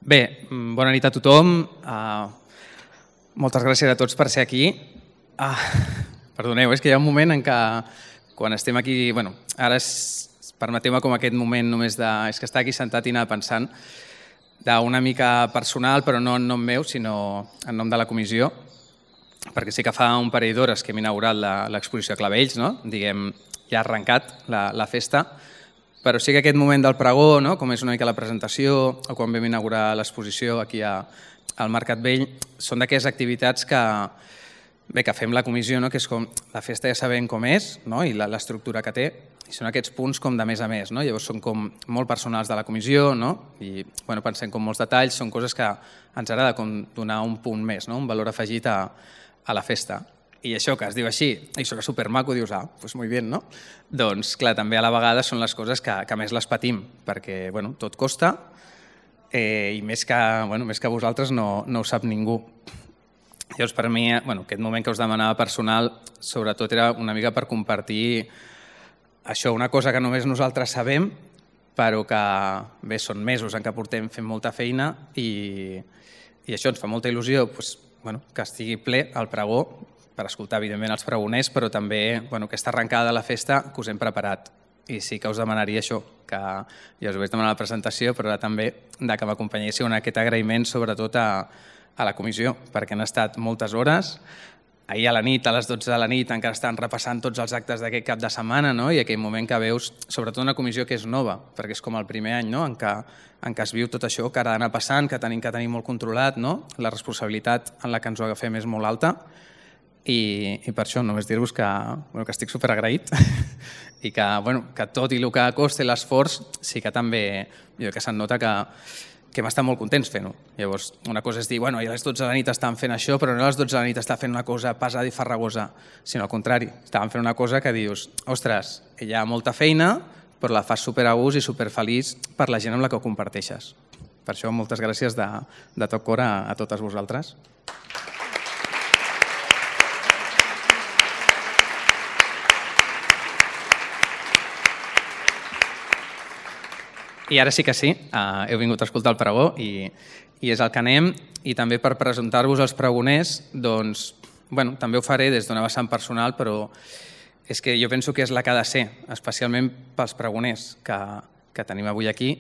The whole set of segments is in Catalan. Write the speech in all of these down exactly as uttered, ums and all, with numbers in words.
Bé, bona nit a tothom. Uh, moltes gràcies a tots per ser aquí. Uh, perdoneu, és que hi ha un moment en què quan estem aquí... Bueno, ara és, permeteu-me com aquest moment només de... És que estar aquí sentat i anar pensant d'una mica personal, però no en nom meu, sinó en nom de la comissió, perquè sí que fa un parell d'hores que hem inaugurat l'exposició a Clavells, no? Diguem, ja ha arrencat la, la festa, però sí que aquest moment del pregó, no? Com és una mica la presentació, o quan vam inaugurar l'exposició aquí a, al Mercat Vell, són d'aquelles activitats que, bé, que fem la comissió, no? Que és com la festa ja sabem com és, no? I l'estructura que té, i són aquests punts com de més a més, no? Llavors són com molt personals de la comissió, no? I bueno, pensem com molts detalls, són coses que ens agrada com donar un punt més, no? Un valor afegit a, a la festa. I això que es diu així, i això que és supermaco, dius, ah, doncs molt bé, no? Doncs, clar, també a la vegada són les coses que, que més les patim, perquè, bueno, tot costa eh, i més que, bueno, més que vosaltres no, no ho sap ningú. Llavors, per mi, bueno, aquest moment que us demanava personal, sobretot era una mica per compartir això, una cosa que només nosaltres sabem, però que, bé, són mesos en què portem fent molta feina i, i això ens fa molta il·lusió, doncs, bueno, que estigui ple el pregó, per escoltar, evidentment, els pregoners, però també bueno, aquesta arrencada de la festa que us hem preparat. I sí que us demanaria això, que ja us ho vaig demanar a la presentació, però ara també de que m'acompanyéssiu en aquest agraïment, sobretot a, a la comissió, perquè han estat moltes hores. Ahir a la nit, a les dotze de la nit, encara estan repassant tots els actes d'aquest cap de setmana, no? I aquell moment que veus, sobretot una comissió que és nova, perquè és com el primer any, no? en, què, en què es viu tot això, que ha d'anar passant, que tenim que tenir molt controlat, no? La responsabilitat en la que ens ho agafem és molt alta. I, i per això només dir-vos que, bueno, que estic superagraït i que, bueno, que tot i el que costa l'esforç sí que també jo que se'n nota que, que hem estat molt contents fent-ho. Llavors, una cosa és dir, bueno, a les dotze de la nit estan fent això, però no a les dotze de la nit està fent una cosa pesada i farragosa, sinó al contrari, estaven fent una cosa que dius, ostres, hi ha molta feina, però la fas super a gust i super feliç per la gent amb la que ho comparteixes. Per això, moltes gràcies de, de tot cor a, a totes vosaltres. I ara sí que sí, uh, heu vingut a escoltar el pregó i, i és el que anem. I també per presentar-vos els pregoners, doncs, bueno, també ho faré des d'una vessant personal, però és que jo penso que és la que ha de ser, especialment pels pregoners que, que tenim avui aquí,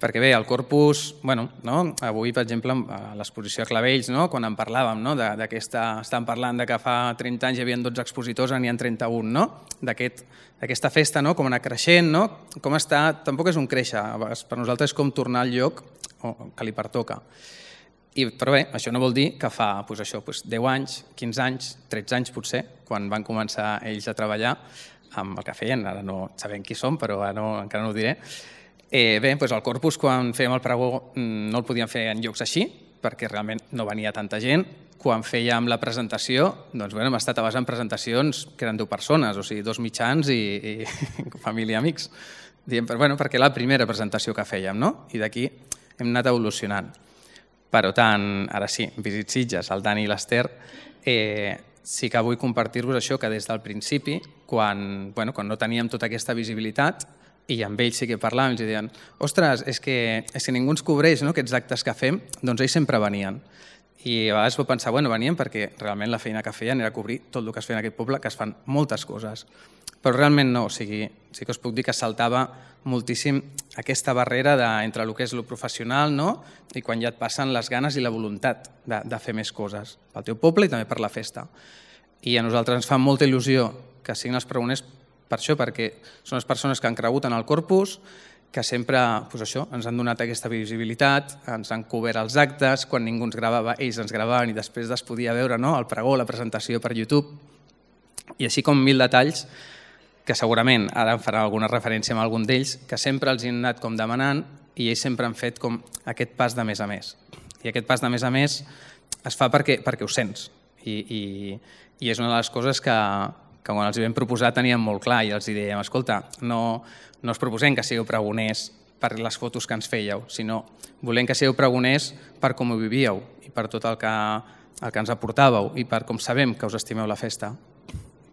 perquè bé, el corpus, bueno, no? Avui, per exemple, a l'exposició a Clavells, no? Quan en parlàvem, no? d'aquesta, estàvem parlant de que fa trenta anys hi havia dotze expositors, ara n'hi ha trenta-un, no? D'aquest, d'aquesta festa, no? Com anar creixent, no? Com està, tampoc és un créixer, per nosaltres és com tornar al lloc que li pertoca. I, però bé, això no vol dir que fa doncs això, doncs deu anys, quinze anys, tretze anys potser, quan van començar ells a treballar amb el que feien, ara no sabem qui som, però ara no, encara no ho diré. Eh, bé, doncs el corpus, quan fèiem el pregó, no el podíem fer en llocs així, perquè realment no venia tanta gent. Quan fèiem la presentació, doncs bueno, hem estat a base en presentacions que eren deu persones, o sigui, dos mitjans i, i família i amics. Diem, però, bueno, perquè la primera presentació que fèiem, no? I d'aquí hem anat evolucionant. Per tant, ara sí, Visit Sitges, el Dani i l'Ester, eh, sí que vull compartir-vos això, que des del principi, quan, bueno, quan no teníem tota aquesta visibilitat, i amb ells sí que parlàvem, i deien, ostres, és que, és que ningú ens cobreix, no?, aquests actes que fem, doncs ells sempre venien. I a vegades vau pensar, bueno, venien perquè realment la feina que feien era cobrir tot el que es feia en aquest poble, que es fan moltes coses. Però realment no, o sigui, sí que us puc dir que saltava moltíssim aquesta barrera de, entre el que és el professional, no?, i quan ja et passen les ganes i la voluntat de, de fer més coses pel teu poble i també per la festa. I a nosaltres ens fa molta il·lusió que siguin els pregoners per això, perquè són les persones que han cregut en el corpus, que sempre doncs això, ens han donat aquesta visibilitat, ens han cobert els actes, quan ningú ens gravava, ells ens gravaven i després es podia veure, no?, el pregó, la presentació per YouTube, i així com mil detalls que segurament ara em farà alguna referència amb algun d'ells, que sempre els han anat com demanant i ells sempre han fet com aquest pas de més a més. I aquest pas de més a més es fa perquè, perquè ho sents i, i, i és una de les coses que que quan els vam proposar teníem molt clar i els dèiem, escolta, no, no us proposem que sigueu pregoners per les fotos que ens fèieu, sinó volem que sigueu pregoners per com ho vivíeu i per tot el que, el que ens aportàveu i per com sabem que us estimeu la festa.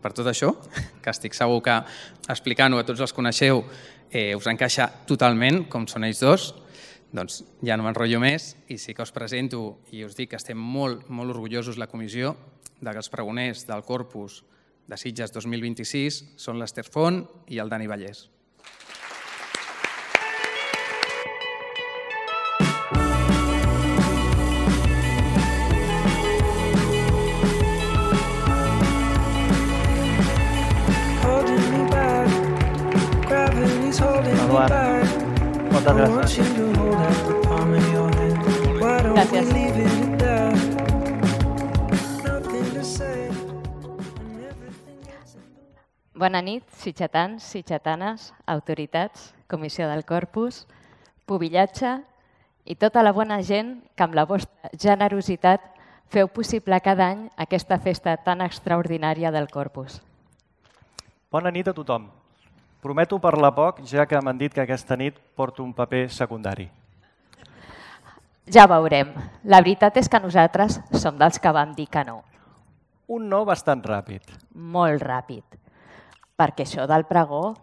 Per tot això, que estic segur que explicant-ho a tots els coneixeu eh, us encaixa totalment, com són ells dos, Doncs ja no m'enrotllo més i sí que us presento i us dic que estem molt, molt orgullosos la comissió de que els pregoners del Corpus de Sitges dos mil vint-i-sis són l'Ester Font i el Dani Vallès. Moltes gràcies. Gràcies. Bona nit, sitgetans, sitgetanes, autoritats, comissió del Corpus, pubillatge i tota la bona gent que amb la vostra generositat feu possible cada any aquesta festa tan extraordinària del Corpus. Bona nit a tothom. Prometo parlar poc, ja que m'han dit que aquesta nit porto un paper secundari. Ja veurem. La veritat és que nosaltres som dels que vam dir que no. Un no bastant ràpid. Molt ràpid. Perquè això del pregó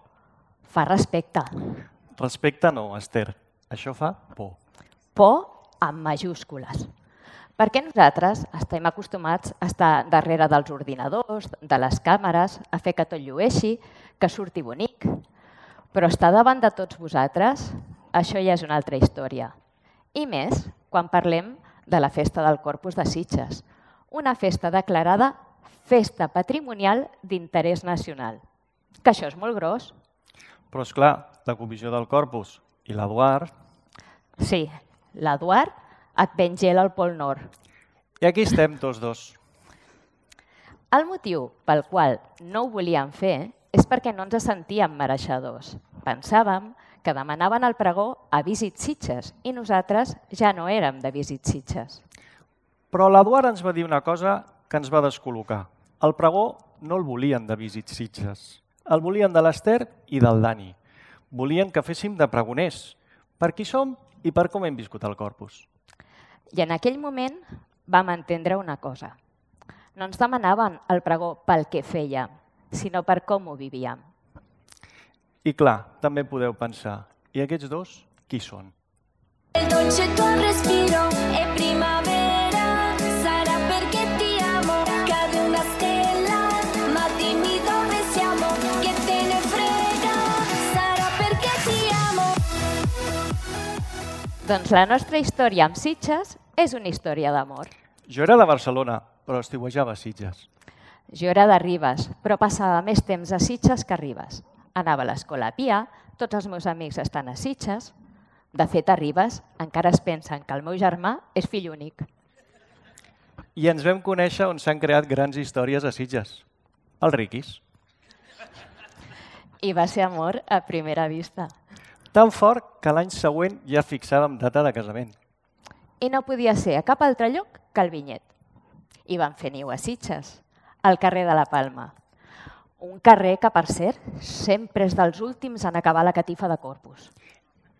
fa respecte. Respecte no, Ester. Això fa por. Por amb majúscules. Perquè nosaltres estem acostumats a estar darrere dels ordinadors, de les càmeres, a fer que tot llueixi, que surti bonic. Però estar davant de tots vosaltres, això ja és una altra història. I més quan parlem de la Festa del Corpus de Sitges, una festa declarada Festa Patrimonial d'Interès Nacional. Que això és molt gros. Però, esclar, la Comissió del Corpus i l'Eduard... Sí, l'Eduard et ven gel al Pol Nord. I aquí estem tots dos. El motiu pel qual no ho volíem fer és perquè no ens sentíem mereixedors. Pensàvem que demanaven el pregó a Visit Sitges i nosaltres ja no érem de Visit Sitges. Però l'Eduard ens va dir una cosa que ens va descol·locar. El pregó no el volien de Visit Sitges. El volien de l'Ester i del Dani. Volien que féssim de pregoners, per qui som i per com hem viscut el Corpus. I en aquell moment vam entendre una cosa. No ens demanaven el pregó pel que fèiem, sinó per com ho vivíem. I clar, també podeu pensar, i aquests dos, qui són? El dolce tuo respiro è primavera, sarà perché ti amo, cade una stella, ma dimmi dove siamo, che te ne frega, sarà perché ti amo. Doncs la nostra història amb Sitges és una història d'amor. Jo era de Barcelona, però estiuejava a Sitges. Jo era de Ribes, però passava més temps a Sitges que a Ribes. Anava a l'escola a Pia, tots els meus amics estan a Sitges. De fet, a Ribes encara es pensen que el meu germà és fill únic. I ens vam conèixer on s'han creat grans històries a Sitges. Els riquis. I va ser amor a primera vista. Tan fort que l'any següent ja fixàvem data de casament. I no podia ser a cap altre lloc que el Vinyet. I van fer niu a Sitges, al carrer de la Palma. Un carrer que, per cert, sempre és dels últims en acabar la catifa de Corpus.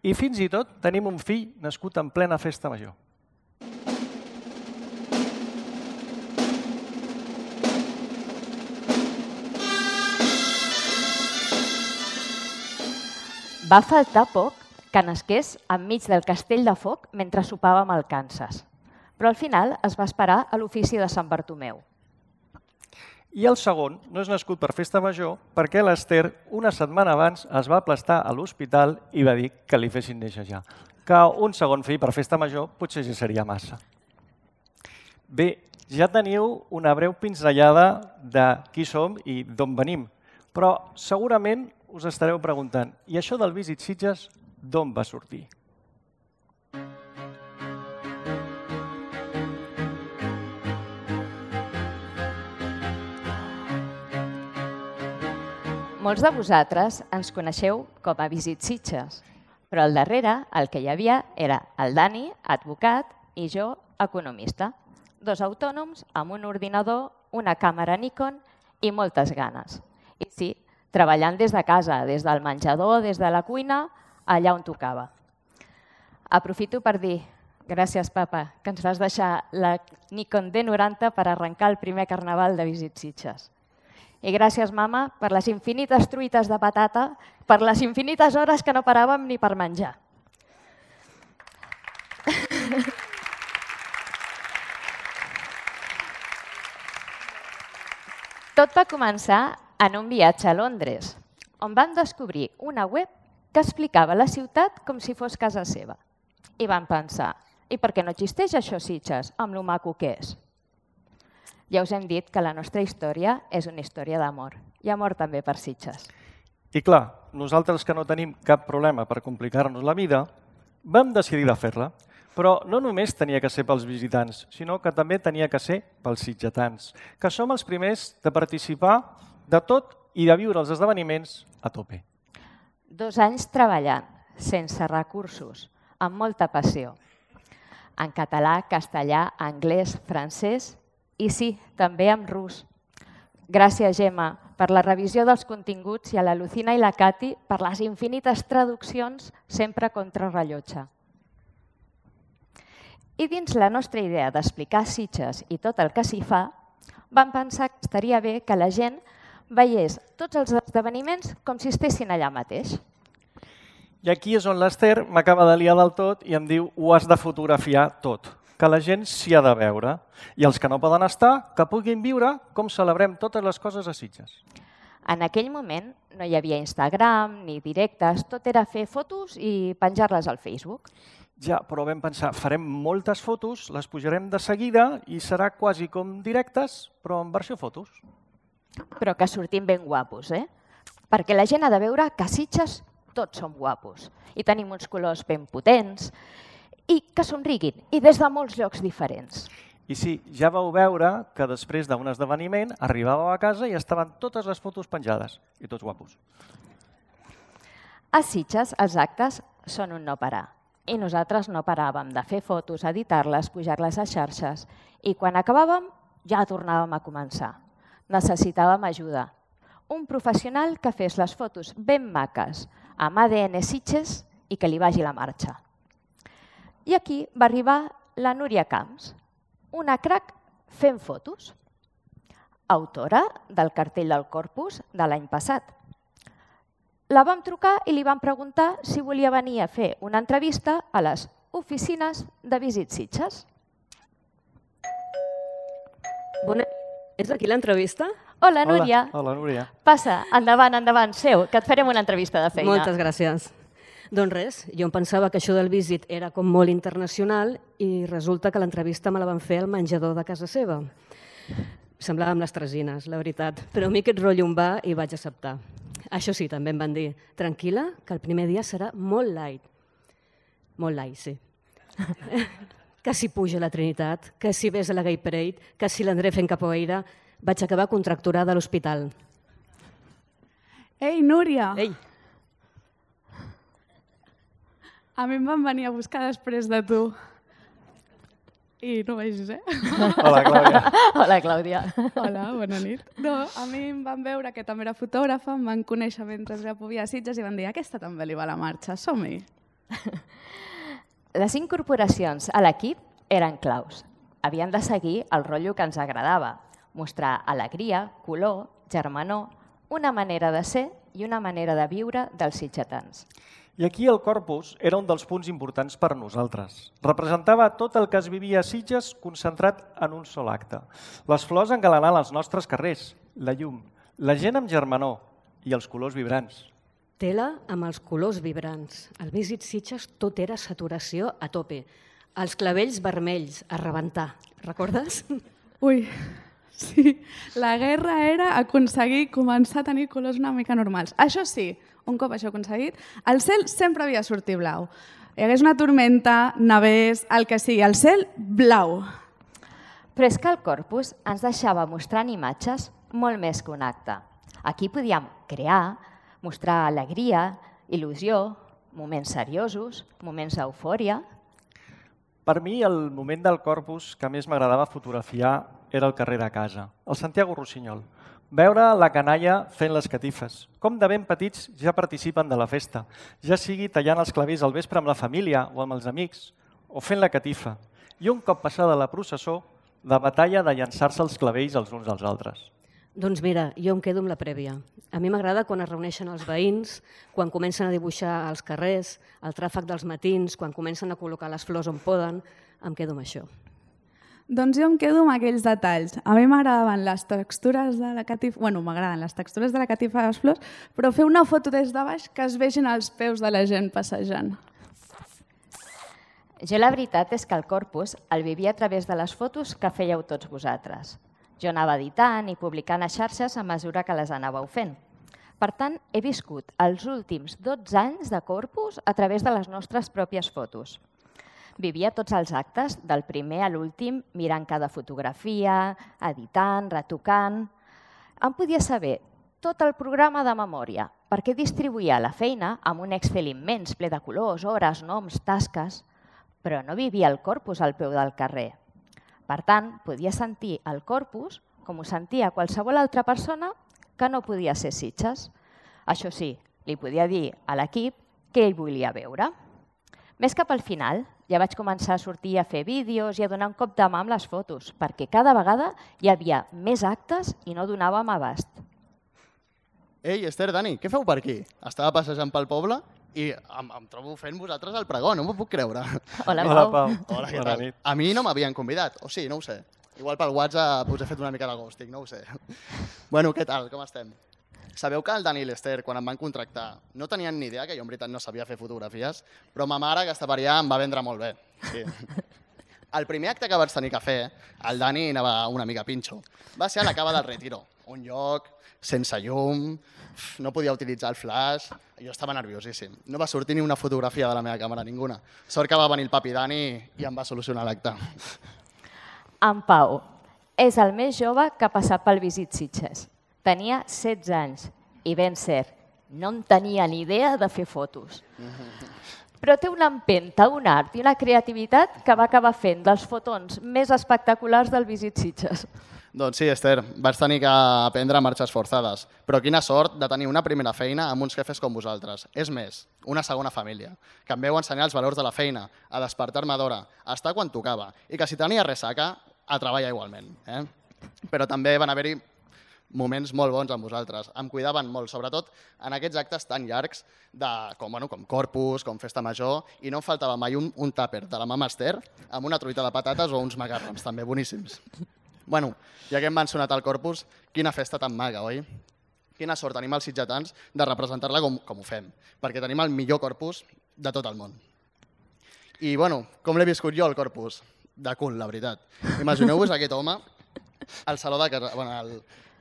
I fins i tot tenim un fill nascut en plena festa major. Va faltar poc que nasqués enmig del castell de foc mentre sopàvem al Kansas. Però al final es va esperar a l'ofici de Sant Bartomeu. I el segon no és nascut per festa major perquè l'Ester una setmana abans es va aplastar a l'hospital i va dir que li fessin néixer ja. Que un segon fill per festa major potser ja seria massa. Bé, ja teniu una breu pinzellada de qui som i d'on venim, però segurament us estareu preguntant, i això del Visit Sitges d'on va sortir? Molts de vosaltres ens coneixeu com a Visit Sitges, però al darrere el que hi havia era el Dani, advocat, i jo, economista. Dos autònoms amb un ordinador, una càmera Nikon i moltes ganes. I sí, treballant des de casa, des del menjador, des de la cuina, allà on tocava. Aprofito per dir, gràcies papa, que ens vas deixar la Nikon D noranta per arrencar el primer carnaval de Visit Sitges. I gràcies, mama, per les infinites truites de patata, per les infinites hores que no paràvem ni per menjar. Tot va començar en un viatge a Londres, on van descobrir una web que explicava la ciutat com si fos casa seva. I van pensar, i per què no existeix això, Sitges, amb lo maco que és? Ja us hem dit que la nostra història és una història d'amor. I amor també per Sitges. I clar, nosaltres que no tenim cap problema per complicar-nos la vida, vam decidir de fer-la. Però no només tenia que ser pels visitants, sinó que també tenia que ser pels sitgetans, que som els primers de participar de tot i de viure els esdeveniments a tope. Dos anys treballant, sense recursos, amb molta passió. En català, castellà, anglès, francès i sí, també en rus. Gràcies, Gemma, per la revisió dels continguts i a la Lucina i la Cati per les infinites traduccions sempre contra rellotge. I dins la nostra idea d'explicar Sitges i tot el que s'hi fa, vam pensar que estaria bé que la gent veiés tots els esdeveniments com si estessin allà mateix. I aquí és on l'Ester m'acaba de liar del tot i em diu ho has de fotografiar tot, que la gent s'hi ha de veure. I els que no poden estar, que puguin viure com celebrem totes les coses a Sitges. En aquell moment no hi havia Instagram ni directes, tot era fer fotos i penjar-les al Facebook. Ja, però vam pensar, farem moltes fotos, les pujarem de seguida i serà quasi com directes, però en versió fotos. Però que sortim ben guapos, eh? Perquè la gent ha de veure que a Sitges tots som guapos i tenim uns colors ben potents i que somriguin, i des de molts llocs diferents. I sí, ja vau veure que després d'un esdeveniment arribàveu a casa i estaven totes les fotos penjades, i tots guapos. A Sitges els actes són un no parar. I nosaltres no paràvem de fer fotos, editar-les, pujar-les a xarxes. I quan acabàvem, ja tornàvem a començar. Necessitàvem ajuda. Un professional que fes les fotos ben maques, amb A D N Sitges i que li vagi la marxa. I aquí va arribar la Núria Camps, una crac fent fotos, autora del cartell del Corpus de l'any passat. La vam trucar i li vam preguntar si volia venir a fer una entrevista a les oficines de Visit Sitges. Bona... És aquí l'entrevista? Hola, Núria. Hola, hola, Núria. Passa, endavant, endavant, seu, que et farem una entrevista de feina. Moltes gràcies. Doncs res, jo em pensava que això del Visit era com molt internacional i resulta que l'entrevista me la van fer al menjador de casa seva. Semblava amb les tresines, la veritat, però a mi aquest rotllo em va i vaig acceptar. Això sí, també em van dir, tranquil·la, que el primer dia serà molt light. Molt light, sí. Que si puja la Trinitat, que si ves a la Gay Parade, que si l'André fent capoeira, vaig acabar contracturada a l'hospital. Ei, Núria! Ei! A mi em van venir a buscar després de tu. I no vegis, eh? Hola, Clàudia. Hola, Clàudia. Hola, bona nit. No, a mi em van veure que també era fotògrafa, em van conèixer mentre ja podia a Sitges i van dir aquesta també li va la marxa, som-hi. Les incorporacions a l'equip eren claus. Havien de seguir el rotllo que ens agradava, mostrar alegria, color, germanor, una manera de ser i una manera de viure dels sitgetans. I aquí el Corpus era un dels punts importants per nosaltres. Representava tot el que es vivia a Sitges concentrat en un sol acte. Les flors engalanant els nostres carrers, la llum, la gent amb germanor i els colors vibrants. Tela amb els colors vibrants. Al Visit Sitges tot era saturació a tope. Els clavells vermells, a rebentar. Recordes? Ui, sí. La guerra era aconseguir començar a tenir colors una mica normals. Això sí, un cop això aconseguit, el cel sempre havia de sortir blau. Hi hagués una tormenta, nevés, el que sigui, el cel blau. Però és que el Corpus ens deixava mostrant imatges molt més que un acte. Aquí podíem crear, mostrar alegria, il·lusió, moments seriosos, moments d'eufòria. Per mi, el moment del Corpus que més m'agradava fotografiar era el carrer de casa, el Santiago Rossinyol. Veure la canalla fent les catifes. Com de ben petits ja participen de la festa, ja sigui tallant els clavells al vespre amb la família o amb els amics, o fent la catifa. I un cop passada la processó, la batalla de llançar-se els clavells els uns als altres. Doncs mira, jo em quedo amb la prèvia. A mi m'agrada quan es reuneixen els veïns, quan comencen a dibuixar els carrers, el tràfic dels matins, quan comencen a col·locar les flors on poden. em quedo amb això. Doncs jo em quedo amb aquells detalls. A mi m'agradaven les textures de la catifa... Bueno, m'agraden les textures de la catifa de les flors, però fer una foto des de baix que es vegin els peus de la gent passejant. Jo la veritat és que el corpus el vivia a través de les fotos que fèieu tots vosaltres. Jo anava editant i publicant a xarxes a mesura que les anàveu fent. Per tant, he viscut els últims dotze anys de corpus a través de les nostres pròpies fotos. Vivia tots els actes, del primer a l'últim, mirant cada fotografia, editant, retocant. Em podia saber tot el programa de memòria, perquè distribuïa la feina amb un Excel immens, ple de colors, hores, noms, tasques, però no vivia el corpus al peu del carrer. Per tant, podia sentir el corpus com ho sentia qualsevol altra persona que no podia ser Sitges. Això sí, li podia dir a l'equip què ell volia veure. Més cap al final, ja vaig començar a sortir a fer vídeos i a donar un cop de mà amb les fotos, perquè cada vegada hi havia més actes i no donàvem abast. Ei, Esther, Dani, què feu per aquí? Estava passejant pel poble i em, em trobo fent vosaltres el pregó, no m'ho puc creure. Hola, Hola, Pau. Pau. Hola, què Bona tal? nit. A mi no m'havien convidat, o sí, no ho sé. Igual pel WhatsApp us he fet una mica de ghosting, no ho sé. Bueno, què tal, com estem? Sabeu que el Dani i l'Esther, quan em van contractar, no tenien ni idea que jo en veritat no sabia fer fotografies, però ma mare, aquesta paria, em va vendre molt bé. Sí. El primer acte que vaig tenir que fer, el Dani anava una mica pinxo, va ser a la Cava del Retiro, un lloc sense llum, no podia utilitzar el flash, jo estava nerviosíssim. No va sortir ni una fotografia de la meva càmera, ninguna. Sort que va venir el papi Dani i em va solucionar l'acte. En Pau és el més jove que ha passat pel Visit Sitges. Tenia setze anys i, ben cert, no en tenia ni idea de fer fotos. Però té una empenta, un art i una creativitat que va acabar fent dels fotons més espectaculars del Visit Sitges. Doncs sí, Esther, vaig tenir que aprendre marxes forçades, però quina sort de tenir una primera feina amb uns jefes com vosaltres. És més, una segona família, que em veu ensenyar els valors de la feina, a despertar-me d'hora, a estar quan tocava, i que si tenia ressaca, a treballar igualment. Eh? Però també van haver-hi moments molt bons amb vosaltres. Em cuidaven molt, sobretot en aquests actes tan llargs de, com, bueno, com Corpus, com Festa Major, i no em faltava mai un, un tàper de la mama Esther amb una truita de patates o uns macarrons, també boníssims. Bueno, ja que hem mencionat el Corpus, quina festa tan maga, oi? Quina sort tenim els sitgetans de representar-la com, com ho fem, perquè tenim el millor Corpus de tot el món. I, bueno, com l'he viscut jo, el Corpus? De cul, la veritat. Imagineu-vos aquest home al saló de casa, bueno, al,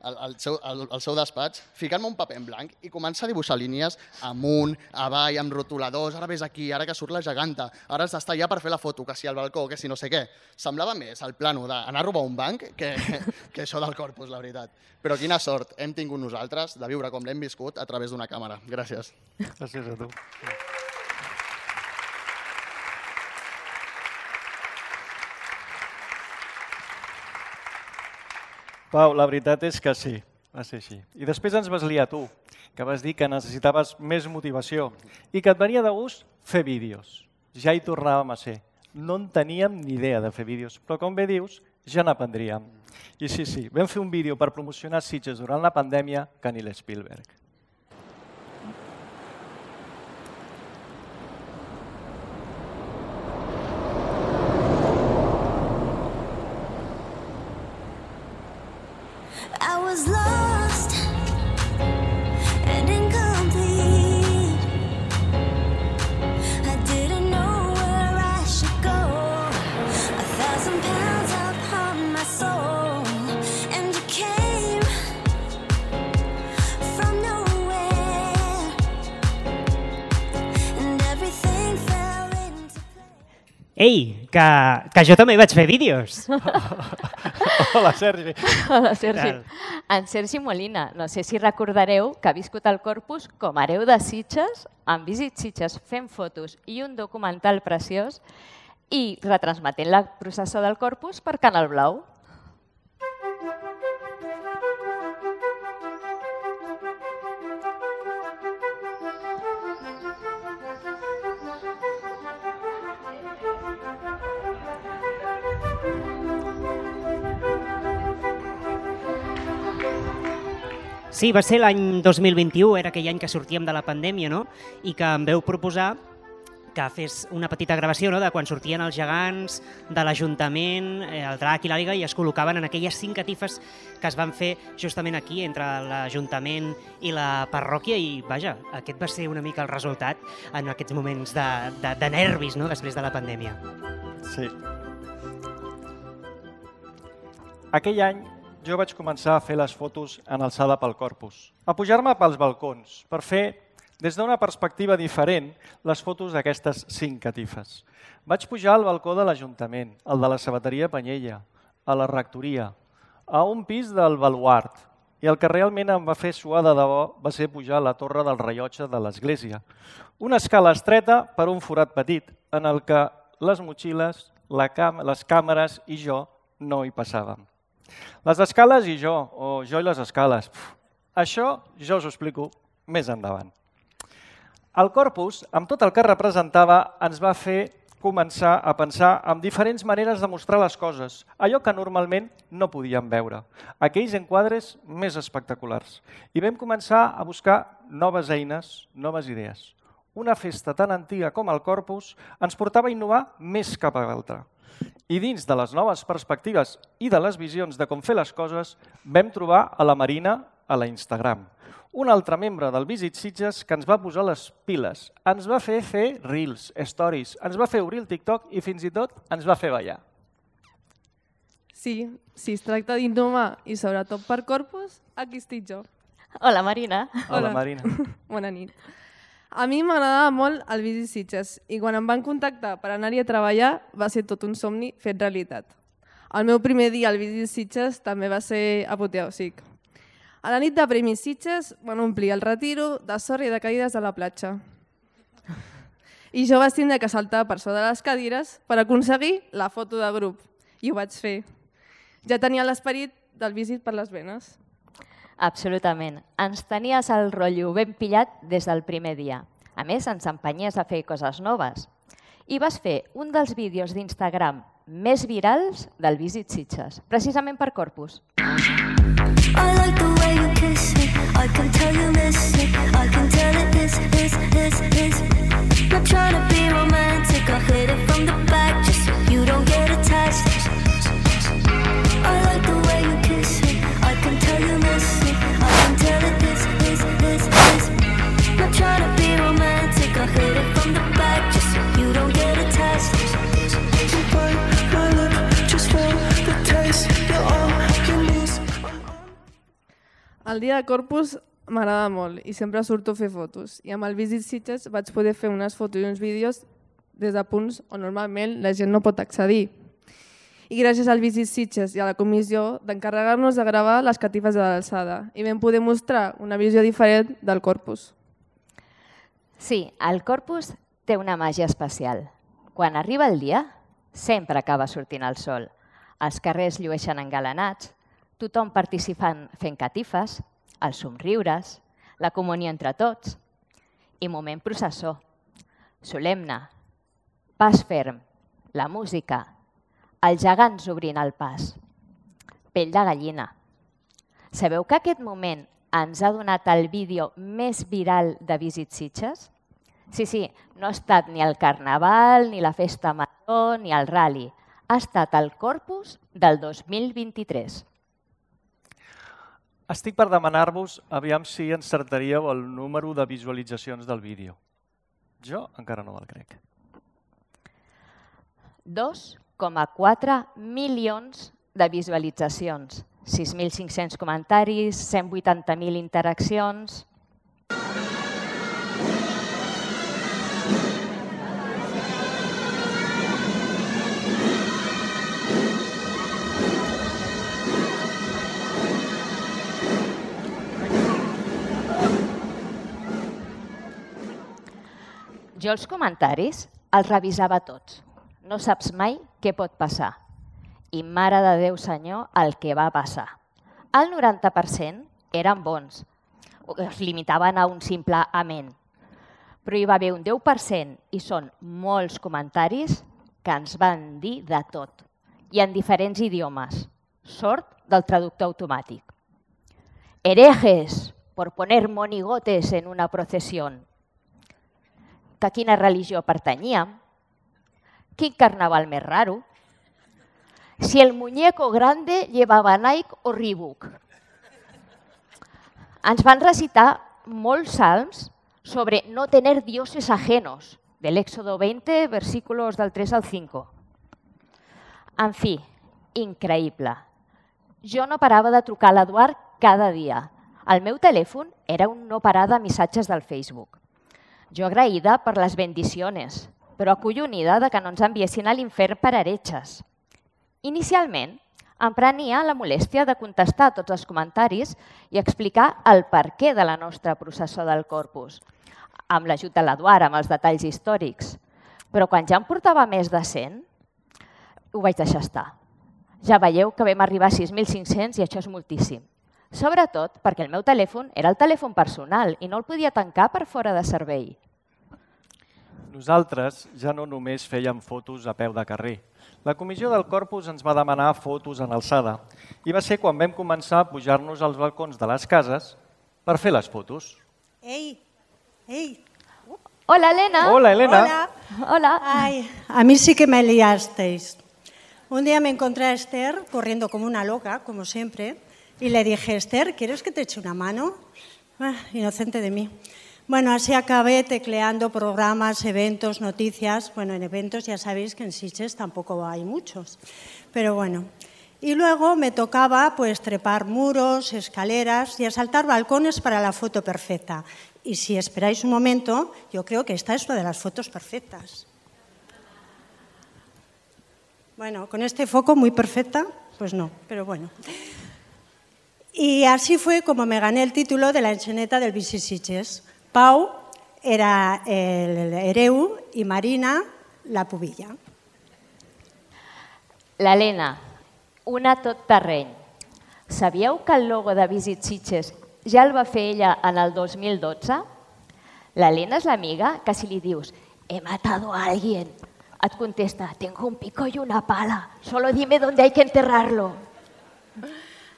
al, al, seu, al, al seu despatx, ficant-me un paper en blanc i començar a dibuixar línies amunt, avall, amb rotuladors, ara ves aquí, ara que surt la geganta, ara has d'estar allà per fer la foto, que si al balcó, que si no sé què. Semblava més el plano d'anar a robar un banc que, que això del Corpus, la veritat. Però quina sort hem tingut nosaltres de viure com l'hem viscut a través d'una càmera. Gràcies. Gràcies a tu. Pau, la veritat és que sí, va ser així. I després ens vas liar tu, que vas dir que necessitaves més motivació i que et venia de gust fer vídeos. Ja hi tornàvem a ser. No en teníem ni idea de fer vídeos, però com bé dius, ja n'aprendríem. I sí, sí, vam fer un vídeo per promocionar Sitges durant la pandèmia que ni l'Spielberg. I was lost and incomplete. I didn't know where I should go. A thousand pounds upon my soul, and you came from nowhere, and everything fell into place. Ei, que, que jo també vaig fer vídeos. Hola, Sergi. Hola, Sergi. En Sergi Molina. No sé si recordareu que ha viscut el Corpus com a hereu de Sitges, amb Visit Sitges fent fotos i un documental preciós i retransmetent la processó del Corpus per Canal Blau. Sí, va ser l'any dos mil vint-i-u, era aquell any que sortíem de la pandèmia, no? I que em veu proposar que fes una petita gravació de quan sortien els gegants de l'Ajuntament, el drac i l'àliga, i es col·locaven en aquelles cinc catifes que es van fer justament aquí, entre l'Ajuntament i la parròquia, i vaja, aquest va ser una mica el resultat en aquests moments de, de, de nervis, no?, després de la pandèmia. Sí. Aquell any jo vaig començar a fer les fotos en alçada pel corpus, a pujar-me pels balcons per fer, des d'una perspectiva diferent, les fotos d'aquestes cinc catifes. Vaig pujar al balcó de l'Ajuntament, al de la Sabateria Panyella, a la Rectoria, a un pis del Baluart, i el que realment em va fer suar de debò va ser pujar a la torre del rellotge de l'església. Una escala estreta per un forat petit, en el que les motxilles, la cam les càmeres i jo no hi passàvem. Les escales i jo, o jo i les escales. Pff, això jo us ho explico més endavant. El corpus, amb tot el que representava, ens va fer començar a pensar en diferents maneres de mostrar les coses, allò que normalment no podíem veure, aquells enquadres més espectaculars. I vam començar a buscar noves eines, noves idees. Una festa tan antiga com el corpus ens portava a innovar més cap a l'altra. I dins de les noves perspectives i de les visions de com fer les coses, vam trobar a la Marina a la Instagram, un altre membre del Visit Sitges que ens va posar les piles, ens va fer fer reels, stories, ens va fer obrir el TikTok i fins i tot ens va fer ballar. Sí, si es tracta d'innovar i sobretot per corpus, aquí estic jo. Hola, Marina. Hola, Marina. Bona nit. A mi m'agradava molt el Visit Sitges i quan em van contactar per anar-hi a treballar va ser tot un somni fet realitat. El meu primer dia al Visit Sitges també va ser apoteòsic. A la nit de Premis Sitges van omplir el retiro de sorra i de cadires a la platja. I jo vaig tindre que saltar per sobre de les cadires per aconseguir la foto de grup. I ho vaig fer. Ja tenia l'esperit del Visit per les venes. Absolutament. Ens tenies el rotllo ben pillat des del primer dia. A més, ens empenyies a fer coses noves. I vas fer un dels vídeos d'Instagram més virals del Visit Sitges, precisament per Corpus. I like the way you kiss it, I can tell you miss it, I can tell it is, is, is, is. Not trying to be romantic, I hit it from the back just so you don't get attached. I like the way you kiss it, I can tell you miss it, I can tell it is, is, is, is. Not trying to be romantic, I hit it from the back just so you don't get attached. You bite my lip just for the taste, you're all you need. El dia de Corpus m'agrada molt i sempre surto a fer fotos. I amb el Visit Sitges vaig poder fer unes fotos i uns vídeos des de punts on normalment la gent no pot accedir. I gràcies al Visit Sitges i a la comissió d'encarregar-nos de gravar les catifes de l'alçada i vam poder mostrar una visió diferent del Corpus. Sí, el Corpus té una màgia especial. Quan arriba el dia, sempre acaba sortint el sol. Els carrers llueixen engalanats, tothom participant fent catifes, els somriures, la comunió entre tots i moment processó, solemne, pas ferm, la música, els gegants obrint el pas, pell de gallina. Sabeu que aquest moment ens ha donat el vídeo més viral de Visit Sitges? Sí, sí, no ha estat ni el Carnaval, ni la Festa Major, ni el Rally. Ha estat el Corpus del dos mil vint-i-tres. Estic per demanar-vos aviam si encertaríeu el número de visualitzacions del vídeo. Jo encara no me'l crec. dos coma quatre milions de visualitzacions, sis mil cinc-cents comentaris, cent vuitanta mil interaccions. Jo els comentaris els revisava tots. No saps mai què pot passar. I mare de Déu, senyor, el que va passar. El noranta per cent eren bons. Es limitaven a un simple amén. Però hi va haver un deu per cent i són molts comentaris que ens van dir de tot. I en diferents idiomes. Sort del traductor automàtic. Herejes por poner monigotes en una procesión. que a quina religió pertanyíem, quin carnaval més raro, si el muñeco grande llevava Nike o Reebok. Ens van recitar molts salms sobre no tener dioses ajenos, del Éxodo veinte, versículos del tres al cinco. En fi, increïble. Jo no parava de trucar a l'Eduard cada dia. El meu telèfon era un no parar de missatges del Facebook. Jo agraïda per les bendiciones, però acollonida de que no ens enviessin a l'infern per heretges. Inicialment, em prenia la molèstia de contestar tots els comentaris i explicar el perquè de la nostra processó del Corpus, amb l'ajut de l'Eduard, amb els detalls històrics. Però quan ja em portava més de cent, ho vaig deixar estar. Ja veieu que vam arribar a sis mil cinc-cents i això és moltíssim. Sobretot perquè el meu telèfon era el telèfon personal i no el podia tancar per fora de servei. Nosaltres ja no només fèiem fotos a peu de carrer. La comissió del Corpus ens va demanar fotos en alçada i va ser quan vam començar a pujar-nos als balcons de les cases per fer les fotos. Ei, ei. Hola, Elena. Hola, Elena. Hola. Hola. Ay, a mí sí que me liasteis. Un día me encontré a Esther corriendo como una loca, como siempre, y le dije, Esther, ¿quieres que te eche una mano? Ah, inocente de mí. Bueno, así acabé tecleando programas, eventos, noticias. Bueno, en eventos ya sabéis que en Sitges tampoco hay muchos. Pero bueno. Y luego me tocaba pues trepar muros, escaleras y asaltar balcones para la foto perfecta. Y si esperáis un momento, yo creo que esta es una de las fotos perfectas. Bueno, con este foco muy perfecta, pues no, pero bueno. Y así fue como me gané el título de la enxaneta del Bici Sitges. Pau era el hereu i Marina la pubilla. L'Helena, una tot terreny. Sabíeu que el logo de Visit Sitges ja el va fer ella en el dos mil dotze? L'Helena és l'amiga que si li dius «he matado a alguien», et contesta «tengo un pico y una pala, solo dime dónde hay que enterrarlo».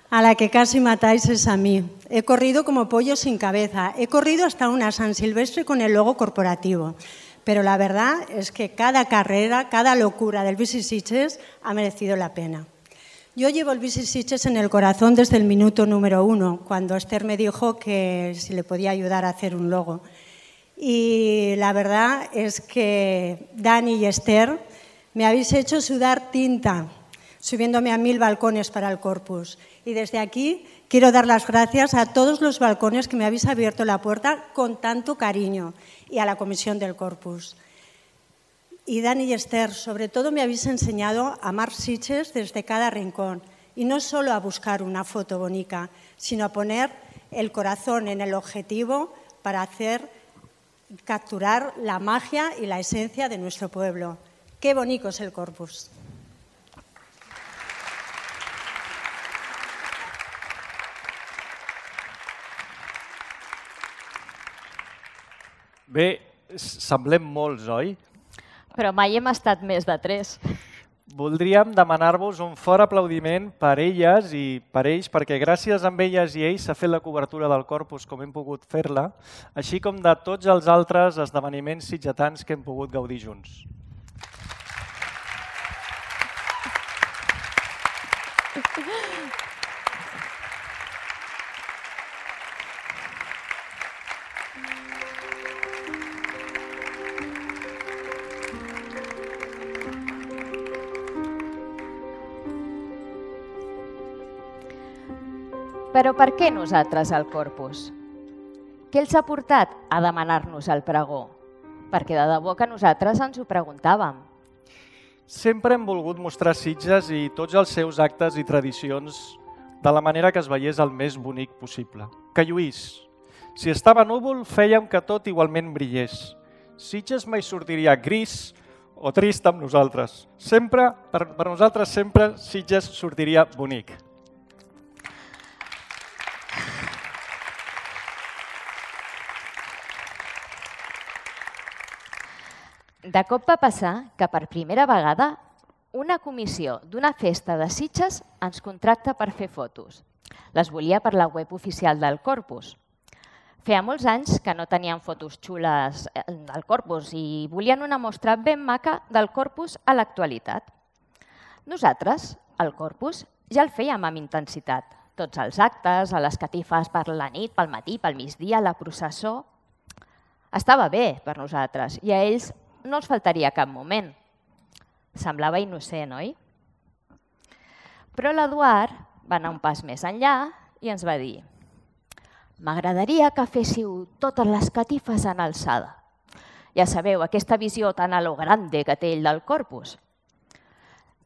A la que casi matáis es a mí. He corrido como pollo sin cabeza. He corrido hasta una San Silvestre con el logo corporativo. Pero la verdad es que cada carrera, cada locura del Visit Sitges ha merecido la pena. Yo llevo el Visit Sitges en el corazón desde el minuto número uno, cuando Esther me dijo que si le podía ayudar a hacer un logo. Y la verdad es que Dani y Esther me habéis hecho sudar tinta, subiéndome a mil balcones para el Corpus. Y desde aquí quiero dar las gracias a todos los balcones que me habéis abierto la puerta con tanto cariño y a la comisión del Corpus. Y Dani y Esther, sobre todo me habéis enseñado a amar Sitges desde cada rincón y no solo a buscar una foto bonita, sino a poner el corazón en el objetivo para hacer capturar la magia y la esencia de nuestro pueblo. Qué bonito es el Corpus. Bé, semblem molts, oi? Però mai hem estat més de tres. Voldríem demanar-vos un fort aplaudiment per elles i per ells, perquè gràcies a elles i ells s'ha fet la cobertura del Corpus com hem pogut fer-la, així com de tots els altres esdeveniments sitgetans que hem pogut gaudir junts. Però per què nosaltres al Corpus? Què els ha portat a demanar-nos el pregó? Perquè de debò que nosaltres ens ho preguntàvem. Sempre hem volgut mostrar Sitges i tots els seus actes i tradicions de la manera que es veiés el més bonic possible. Que lluís. Si estava núvol, fèiem que tot igualment brillés. Sitges mai sortiria gris o trist amb nosaltres. Sempre, per, per nosaltres sempre, Sitges sortiria bonic. De cop va passar que per primera vegada una comissió d'una festa de Sitges ens contracta per fer fotos. Les volia per la web oficial del Corpus. Feia molts anys que no tenien fotos xules del Corpus i volien una mostra ben maca del Corpus a l'actualitat. Nosaltres, el Corpus, ja el fèiem amb intensitat. Tots els actes, a les catifes per la nit, pel matí, pel migdia, la processó... Estava bé per nosaltres i a ells no els faltaria cap moment. Semblava innocent, oi? Però l'Eduard va anar un pas més enllà i ens va dir: m'agradaria que féssiu totes les catifes en alçada. Ja sabeu, aquesta visió tan a lo grande que té ell del Corpus.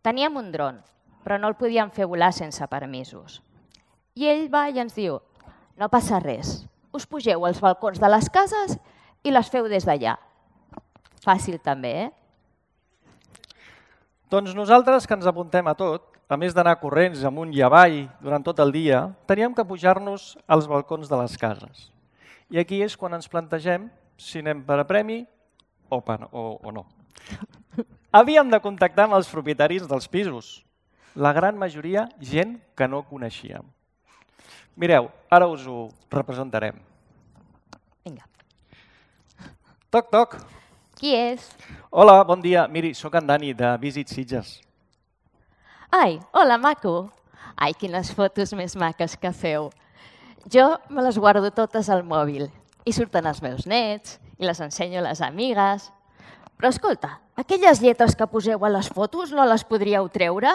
Teníem un dron, però no el podíem fer volar sense permisos. I ell va i ens diu: no passa res, us pugeu als balcons de les cases i les feu des d'allà. Fàcil també, eh? Doncs nosaltres, que ens apuntem a tot, a més d'anar corrents amunt i avall durant tot el dia, teníem que pujar-nos als balcons de les cases. I aquí és quan ens plantegem si anem per a premi o, per, o, o no. Havíem de contactar amb els propietaris dels pisos. La gran majoria, gent que no coneixíem. Mireu, ara us ho representarem. Vinga. Toc, toc. Qui és? Hola, bon dia. Miri, sóc en Dani, de Visit Sitges. Ai, hola, maco. Ai, quines fotos més maques que feu. Jo me les guardo totes al mòbil. I surten els meus nets, i les ensenyo a les amigues. Però escolta, aquelles lletres que poseu a les fotos no les podríeu treure?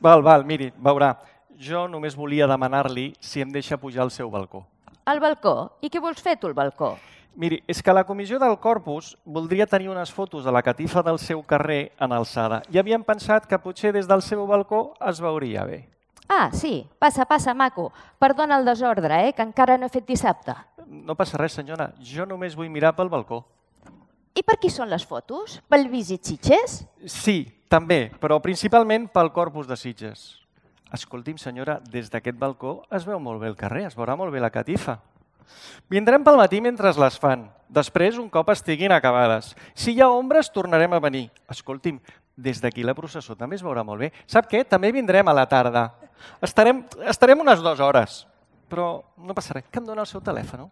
Val, val, miri, veurà. Jo només volia demanar-li si em deixa pujar al seu balcó. Al balcó? I què vols fer tu al balcó? Miri, és que la comissió del Corpus voldria tenir unes fotos de la catifa del seu carrer en alçada i havíem pensat que potser des del seu balcó es veuria bé. Ah, sí. Passa, passa, maco. Perdona el desordre, eh, que encara no he fet dissabte. No passa res, senyora. Jo només vull mirar pel balcó. I per qui són les fotos? Pel Visit Sitges? Sí, també, però principalment pel Corpus de Sitges. Escolti'm, senyora, des d'aquest balcó es veu molt bé el carrer, es veurà molt bé la catifa. Vindrem pel matí mentre les fan. Després, un cop estiguin acabades. Si hi ha ombres, tornarem a venir. Escolti'm, des d'aquí la processó també es veurà molt bé. Sap què? També vindrem a la tarda. Estarem, estarem unes dues hores. Però no passa res. Que em dona el seu telèfon?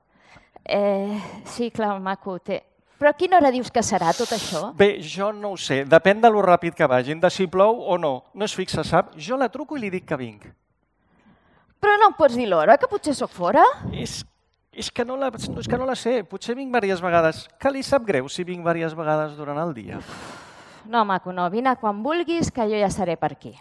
Eh, sí, clar, maco. Té... Però a quina hora dius que serà tot això? Bé, jo no ho sé. Depèn de lo ràpid que vagin, de si plou o no. No es fixa, sap? Jo la truco i li dic que vinc. Però no em pots dir l'hora, que potser sóc fora? És És que, no la, és que no la sé, potser vinc diverses vegades. Que li sap greu si vinc diverses vegades durant el dia? No, maco, no. Vine quan vulguis, que jo ja seré per aquí.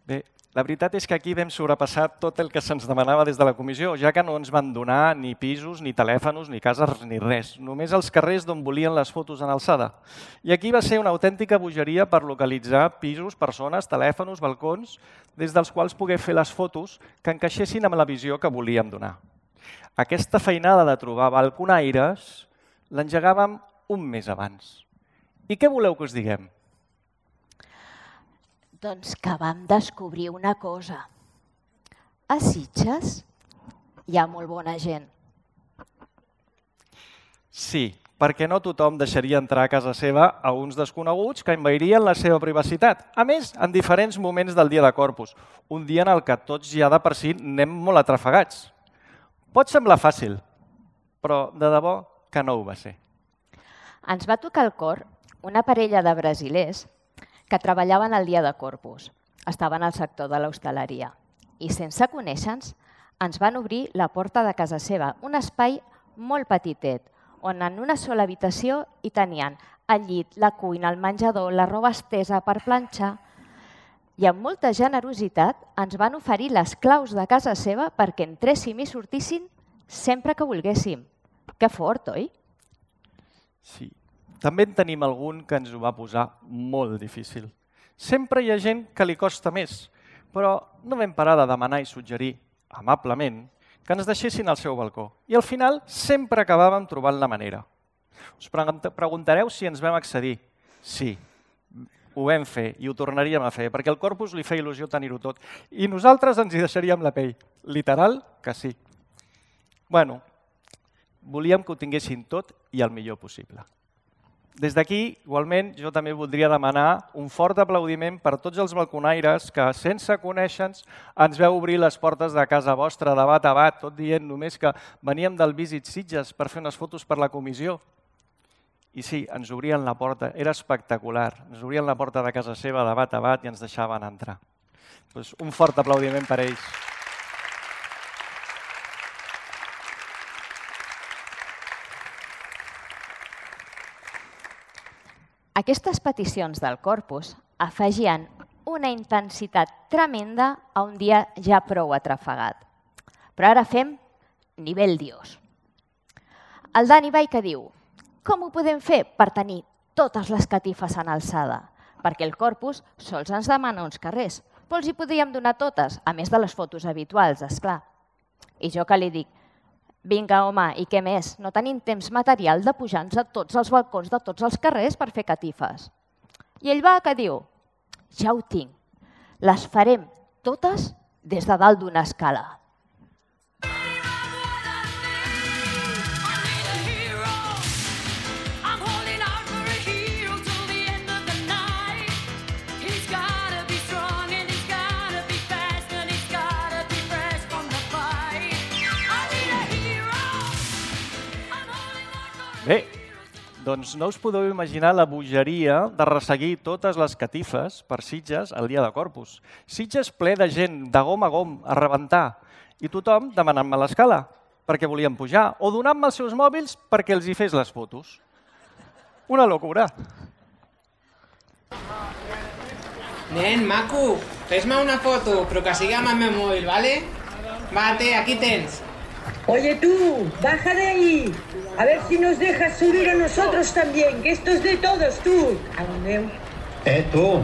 Bé, la veritat és que aquí vam sobrepassar tot el que se'ns demanava des de la comissió, ja que no ens van donar ni pisos, ni telèfons, ni cases, ni res. Només els carrers d'on volien les fotos en alçada. I aquí va ser una autèntica bogeria per localitzar pisos, persones, telèfons, balcons, des dels quals poder fer les fotos que encaixessin amb la visió que volíem donar. Aquesta feinada de trobar balconaires l'engegàvem un mes abans. I què voleu que us diguem? Doncs que vam descobrir una cosa. A Sitges hi ha molt bona gent. Sí, perquè no tothom deixaria entrar a casa seva a uns desconeguts que envairien la seva privacitat. A més, en diferents moments del dia de Corpus, un dia en el que tots ja de per si anem molt atrafegats. Pot semblar fàcil, però de debò que no ho va ser. Ens va tocar al cor una parella de brasilers que treballaven el dia de Corpus. Estaven al sector de l'hostaleria i sense conèixer-nos ens van obrir la porta de casa seva, un espai molt petitet, on en una sola habitació hi tenien el llit, la cuina, el menjador, la roba estesa per planxar. I amb molta generositat ens van oferir les claus de casa seva perquè entréssim i sortíssim sempre que volguéssim. Que fort, oi? Sí. També en tenim algun que ens ho va posar molt difícil. Sempre hi ha gent que li costa més, però no vam parar de demanar i suggerir, amablement, que ens deixessin al seu balcó. I al final sempre acabàvem trobant la manera. Us preguntareu si ens vam accedir. Sí, ho vam fer i ho tornaríem a fer, perquè al Corpus li feia il·lusió tenir-ho tot. I nosaltres ens hi deixaríem la pell. Literal que sí. Bueno, volíem que ho tinguessin tot i el millor possible. Des d'aquí, igualment, jo també voldria demanar un fort aplaudiment per tots els balconaires que, sense conèixer-nos, ens veu obrir les portes de casa vostra de bat a bat, tot dient només que veníem del Visit Sitges per fer unes fotos per la comissió. I sí, ens obrien la porta, era espectacular. Ens obrien la porta de casa seva de bat a bat i ens deixaven entrar. Doncs un fort aplaudiment per ells. Aquestes peticions del corpus afegien una intensitat tremenda a un dia ja prou atrafegat. Però ara fem nivell Dios. El Dani Baica diu: com ho podem fer per tenir totes les catifes en alçada? Perquè el corpus sols ens demana uns carrers, però els hi podríem donar totes, a més de les fotos habituals, esclar. I jo que li dic: vinga, home, i què més? No tenim temps material de pujar-nos a tots els balcons de tots els carrers per fer catifes. I ell va que diu: ja ho tinc, les farem totes des de dalt d'una escala. Bé, doncs no us podeu imaginar la bogeria de resseguir totes les catifes per Sitges el dia de Corpus. Sitges ple de gent, de gom a gom, a rebentar, i tothom demanant-me l'escala perquè volien pujar, o donant-me els seus mòbils perquè els hi fes les fotos. Una locura. Nen, maco, fes-me una foto, però que sigui amb el meu mòbil, ¿vale? Vate, aquí tens. Oye tú, baja de ahí. A ver si nos dejas subir a nosotros también, que esto es de todos, tú. Adeu. Eh, tu,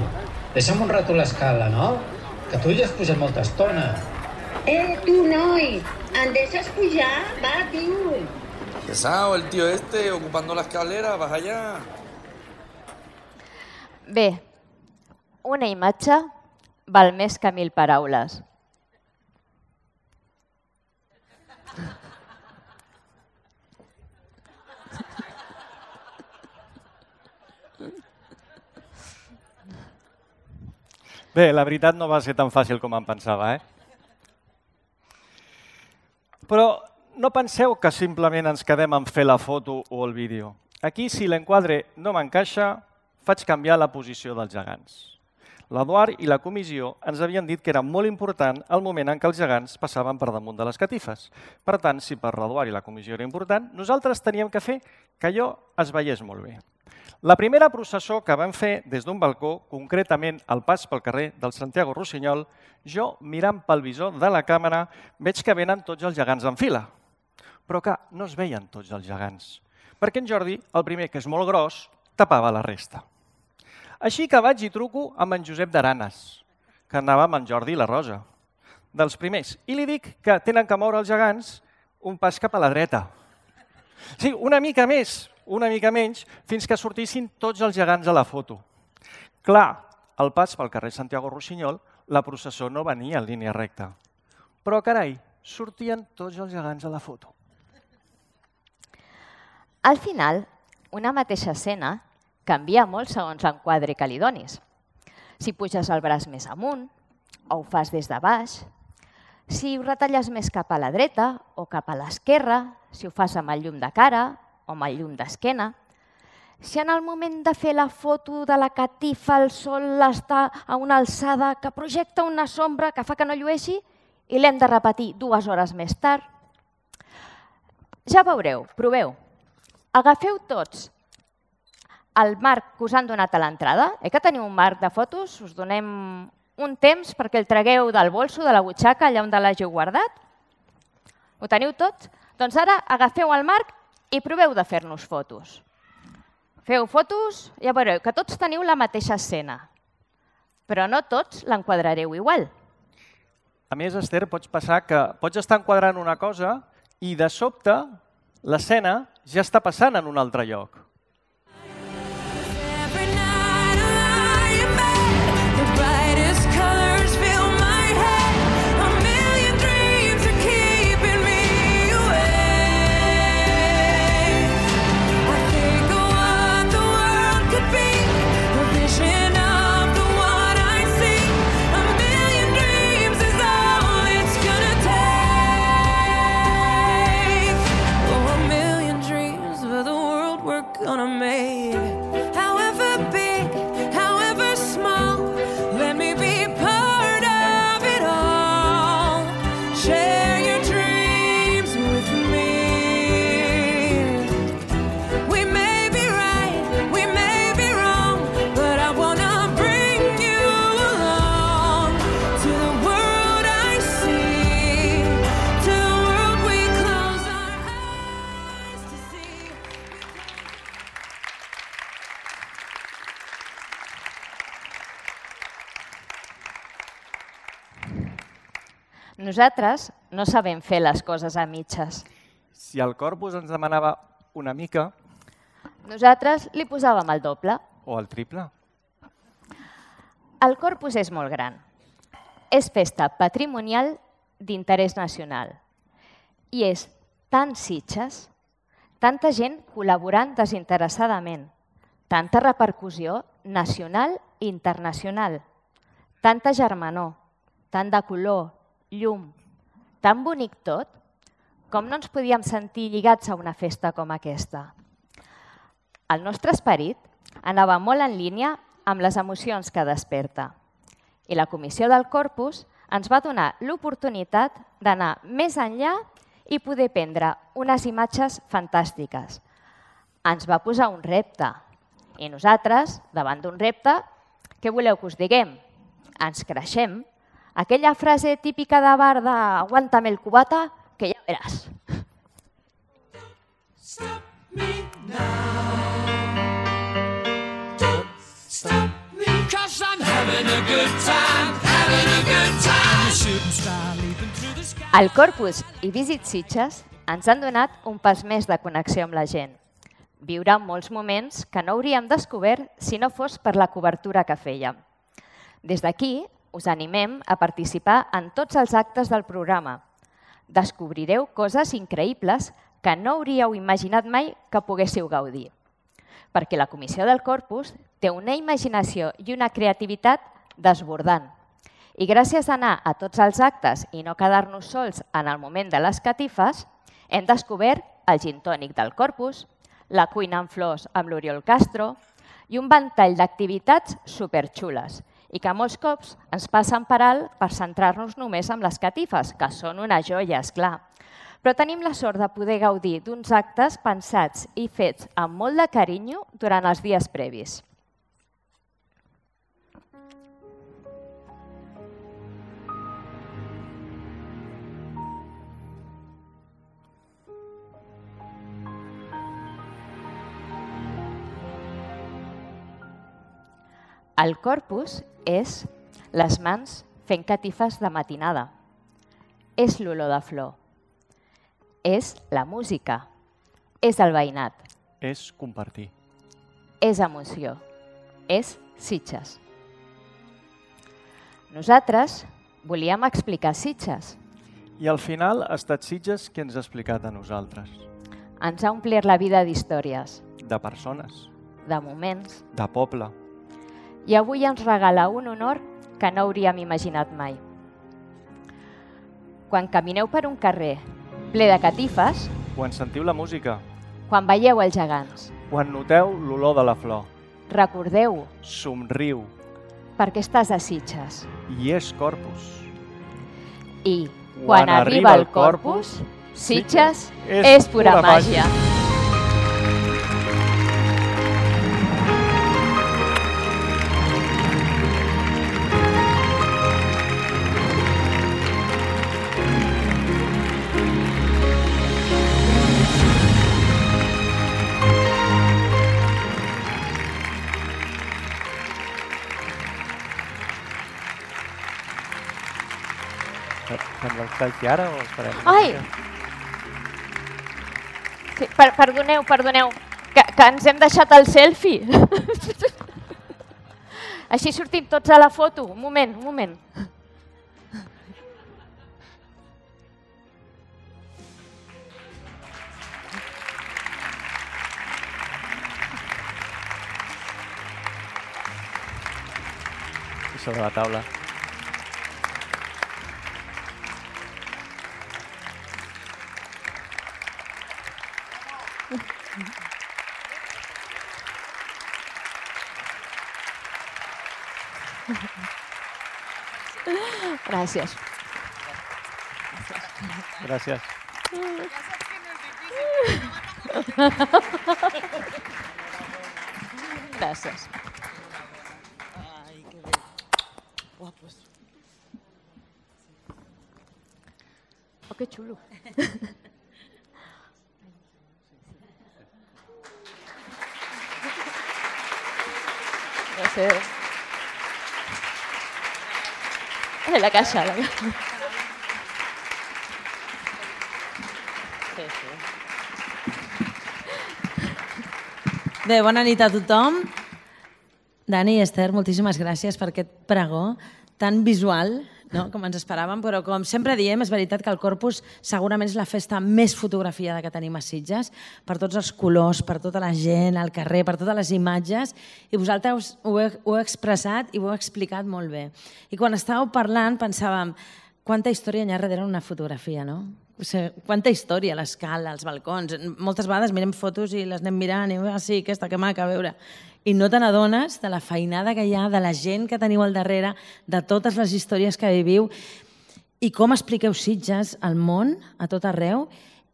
deixa'm un rato l'escala, no? Que tu ja has pujat molta estona. Eh, tú, noi, ¿em deixes pujar? Va, tío. Pesado el tío este, ocupando la escalera, vas allá. Bé, una imatge val més que mil paraules. Bé, la veritat no va ser tan fàcil com em pensava, eh? Però no penseu que simplement ens quedem en fer la foto o el vídeo. Aquí, si l'enquadre no m'encaixa, faig canviar la posició dels gegants. L'Eduard i la comissió ens havien dit que era molt important el moment en què els gegants passaven per damunt de les catifes. Per tant, si per l'Eduard i la comissió era important, nosaltres teníem que fer que allò es veiés molt bé. La primera processó que vam fer des d'un balcó, concretament al pas pel carrer del Santiago Rossinyol, jo, mirant pel visor de la càmera, veig que venen tots els gegants en fila. Però que no es veien tots els gegants, perquè en Jordi, el primer, que és molt gros, tapava la resta. Així que vaig i truco amb en Josep d'Aranes, que anava amb en Jordi i la Rosa, dels primers, i li dic que tenen que moure els gegants un pas cap a la dreta. Sí, una mica més, una mica menys, fins que sortissin tots els gegants a la foto. Clar, al pas pel carrer Santiago Rossinyol, la processó no venia en línia recta. Però, carai, sortien tots els gegants a la foto. Al final, una mateixa escena canvia molt segons l'enquadre que li donis. Si puges el braç més amunt, o ho fas des de baix, si ho retalles més cap a la dreta o cap a l'esquerra, si ho fas amb el llum de cara o amb el llum d'esquena, si en el moment de fer la foto de la catifa el sol està a una alçada que projecta una sombra que fa que no llueixi i l'hem de repetir dues hores més tard. Ja veureu, proveu. Agafeu tots el marc que us han donat a l'entrada. Eh que teniu un marc de fotos? Us donem un temps perquè el tragueu del bolso, de la butxaca, allà on l'hàgiu guardat. Ho teniu tot? Doncs ara agafeu el marc i proveu de fer-nos fotos. Feu fotos, ja veureu que tots teniu la mateixa escena, però no tots l'enquadrareu igual. A més, Esther, pots passar que pots estar enquadrant una cosa i de sobte l'escena ja està passant en un altre lloc. Nosaltres no sabem fer les coses a mitges. Si el corpus ens demanava una mica... Nosaltres li posàvem el doble. O el triple. El corpus és molt gran. És festa patrimonial d'interès nacional. I és tan Sitges, tanta gent col·laborant desinteressadament, tanta repercussió nacional i internacional, tanta germanor, tant de color, llum, tan bonic tot, com no ens podíem sentir lligats a una festa com aquesta. El nostre esperit anava molt en línia amb les emocions que desperta. I la Comissió del Corpus ens va donar l'oportunitat d'anar més enllà i poder prendre unes imatges fantàstiques. Ens va posar un repte. I nosaltres, davant d'un repte, què voleu que us diguem? Ens creixem. Aquella frase típica de bar de «aguántame el cubata», que ja veràs. Stop me now. Don't stop me, 'cause I'm having a good time, having a good time. A shooting star leaping through the sky. El Corpus i Visit Sitges ens han donat un pas més de connexió amb la gent. Viure molts moments que no hauríem descobert si no fos per la cobertura que fèiem. Des d'aquí us animem a participar en tots els actes del programa. Descobrireu coses increïbles que no hauríeu imaginat mai que poguéssiu gaudir. Perquè la Comissió del Corpus té una imaginació i una creativitat desbordant. I gràcies a anar a tots els actes i no quedar-nos sols en el moment de les catifes, hem descobert el gin tònic del Corpus, la cuina en flors amb l'Oriol Castro i un ventall d'activitats superxules i que molts cops ens passen per alt per centrar-nos només en les catifes, que són una joia, esclar. Però tenim la sort de poder gaudir d'uns actes pensats i fets amb molt de carinyo durant els dies previs. El Corpus és les mans fent catifes de matinada. És l'olor de flor. És la música. És el veïnat. És compartir. És emoció. És Sitges. Nosaltres volíem explicar Sitges. I al final ha estat Sitges qui ens ha explicat a nosaltres. Ens ha omplert la vida d'històries. De persones. De moments. De poble. I avui ens regala un honor que no hauríem imaginat mai. Quan camineu per un carrer ple de catifes, quan sentiu la música, quan veieu els gegants, quan noteu l'olor de la flor, recordeu, somriu, perquè estàs a Sitges. I és Corpus. I quan, quan arriba el Corpus, Sitges és, és pura, pura màgia. màgia. Fem el selfie ara o esperem? Ai! Sí, per, perdoneu, perdoneu, que, que ens hem deixat el selfie. Així sortim tots a la foto. Un moment, un moment. I sobre la taula. Gràcies. Gràcies. Gràcies. Ai, que bé. Guapos. Oh, que xulo. Gràcies. La caixa, la caixa. Sí, sí. Bé, bona nit a tothom. Dani i Esther, moltíssimes gràcies per aquest pregó tan visual, no? Com ens esperàvem, però com sempre diem, és veritat que el Corpus segurament és la festa més fotografiada que tenim a Sitges, per tots els colors, per tota la gent al carrer, per totes les imatges, i vosaltres ho, he, ho heu expressat i ho heu explicat molt bé. I quan estàveu parlant pensàvem quanta història hi ha darrere una fotografia, no? O sigui, quanta història, l'escala, els balcons. Moltes vegades mirem fotos i les anem mirant i ah, sí, aquesta, que maca, a veure. I no te n'adones de la feinada que hi ha, de la gent que teniu al darrere, de totes les històries que viviu i com expliqueu Sitges al món, a tot arreu,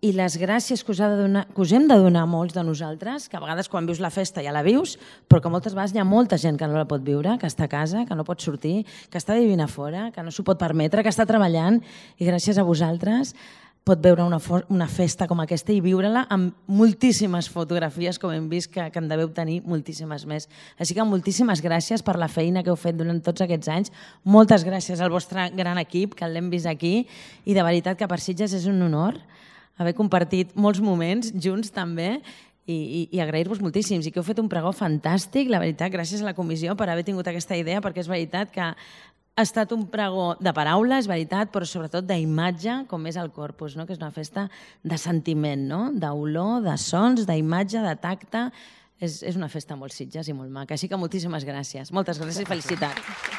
i les gràcies que us, ha de donar, que us hem de donar molts de nosaltres, que a vegades quan vius la festa ja la vius, però que moltes vegades hi ha molta gent que no la pot viure, que està a casa, que no pot sortir, que està vivint a fora, que no s'ho pot permetre, que està treballant, i gràcies a vosaltres pot veure una, una festa com aquesta i viure-la amb moltíssimes fotografies, com hem vist, que, que en deveu tenir moltíssimes més. Així que moltíssimes gràcies per la feina que heu fet durant tots aquests anys. Moltes gràcies al vostre gran equip, que l'hem vist aquí, i de veritat que per Sitges és un honor haver compartit molts moments junts també, i, i, i agrair-vos moltíssims, i que heu fet un pregó fantàstic, la veritat, gràcies a la comissió per haver tingut aquesta idea, perquè és veritat que ha estat un pregó de paraules, veritat, però sobretot d'imatge, com és el Corpus, no? Que és una festa de sentiment, no? D'olor, de sons, d'imatge, de tacte. És, és una festa molt Sitges i molt maca. Així que moltíssimes gràcies. Moltes gràcies i felicitats.